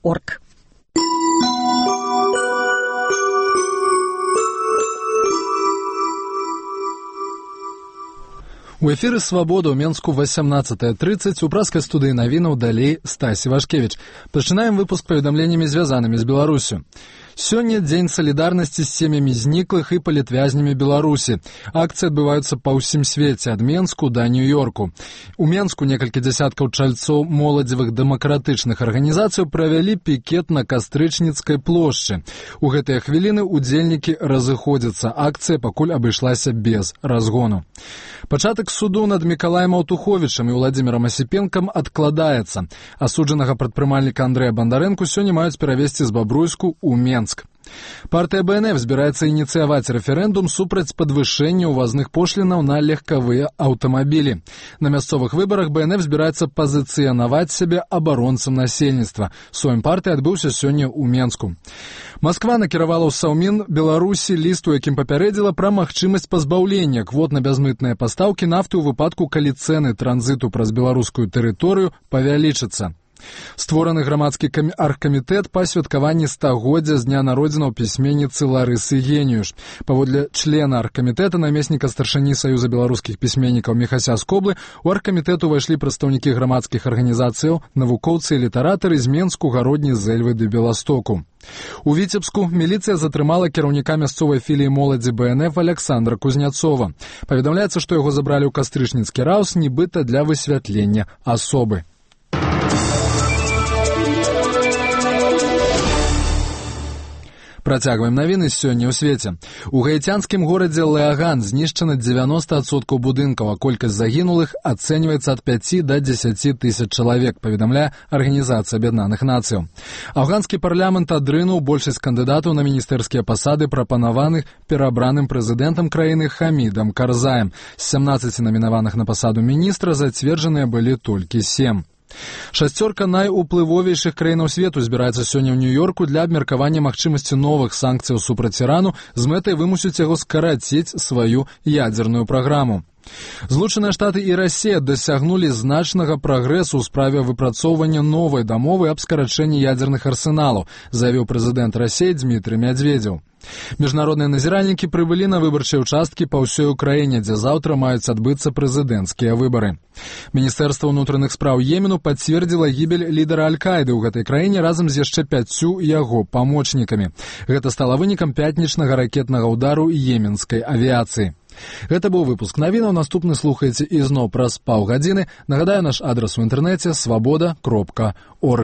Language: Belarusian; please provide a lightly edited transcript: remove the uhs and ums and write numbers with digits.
свобода.орг. У эфіры «Свабода» ў Менску 18:30 у праскай студыі навінаў далей Стасі Вашкевіч. Пачынаем выпуск паведамленнямі, звязанымі з Беларусю. Сёння дзень салідарнасці з сем'ямі зніклых і палітвязнямі Беларусі. Акцыі адбываюцца па ўсім свеце, ад Менску да Нью-Йорку. У Менску некалькі дзясяткаў чальцоў моладзевых дэмакратычных арганізацый правялі пікет на Кастрычніцкай плошчы. У гэтыя хвіліны удзельнікі разыходзяцца. Акцыя пакуль абышлася без разгону. Пачатак суду над Мікалаем Аўтуховічам і Владзімірам Асіпенкам адкладаецца. Асуджанага прадпрымальніка Андрэя Бандарэнку сёння маюць перавезці з Бабруйску ў Менск. Партыя БНФ збіраецца ініцыяваць рэферэндум супраць падвышэння ўвазных пошлінаў на легкавыя аўтамабілі. На мясцовых выбарах БНФ збіраецца пазіцыянаваць сябе абаронцам насельніцтва. Сойм партыі адбыўся сёння ў Менску. Масква накіравала ў Саўмін Беларусі ліст, у якім папярэдзіла пра магчымасць пазбаўлення квот на бязмытныя пастаўкі нафты ў выпадку, калі цэны транзіту праз беларускую тэрыторыю павялічацца. Створаны грамадскі аргкамітэт па святкаванні 100-годдзя з дня народзінаў пісьменніцы Ларысы Геніюш. Паводле члена аргкамітэта, намесніка старшыні Саюза беларускіх пісьменнікаў Міхася Скоблы, у аргкамітэт увайшлі прадстаўнікі грамадскіх арганізацыяў, навукоўцы і літаратары з Менску, Гародні, Зэльвы ды Беластоку. У Віцебску міліцыя затрымала кіраўніка мясцовай філіі моладзі БНФ Аляксандра Кузняцова. Паведамляецца, што яго забралі ў Кастрычніцкі раус, нібыта для высвятлення асобы. Працягваем навіны сёння ў свеце. У гаіцянскім горадзе Леаган знішчана 90% будынкаў, а колькасць загінулых ацэньваецца ад 5 да 10 тысяч чалавек, паведамляе Арганізацыя Аб'яднаных Нацыяў. Афганскі парламент адрынуў большасць кандыдатаў на міністэрскія пасады, прапанаваных перабраным прэзідэнтам краіны Хамідам Карзаем. З 17 намінаваных на пасаду міністра зацверджаныя былі толькі 7. Шасцёрка найуплывовейшых краінаў свету збіраецца сёння ў Нью-Йорку для абмеркавання магчымасці новых санкцыяў супраць Ірану з мэтай вымусіць яго скараціць сваю ядзерную праграму. Злучаныя Штаты і Расія дасягнулі значнага прагрэсу ў справе выпрацоўвання новай дамовы аб скарачэнні ядзерных арсеналаў, заявіў прэзідэнт Расіі Дмітрый Мядзведзеў. Міжнародныя назіральнікі прыбылі на выбарчыя ўчасткі па ўсёй Украіне, дзе заўтра маюць адбыцца прэзідэнцкія выбары. Міністэрства ўнутраных спраў Йемену пацвердзіла гібель лідара Аль-Каіды ў гэтай краіне разам з яшчэ 5 яго памочнікамі. Гэта стала вынікам пятнічнага ракетнага ўдару йеменскай авіяцыі. Гэта быў выпуск навінаў. Наступны слухаеце ізноў праз паўгадзіны. Нагадаю, наш адрас у інтэрнэце свабода.орг.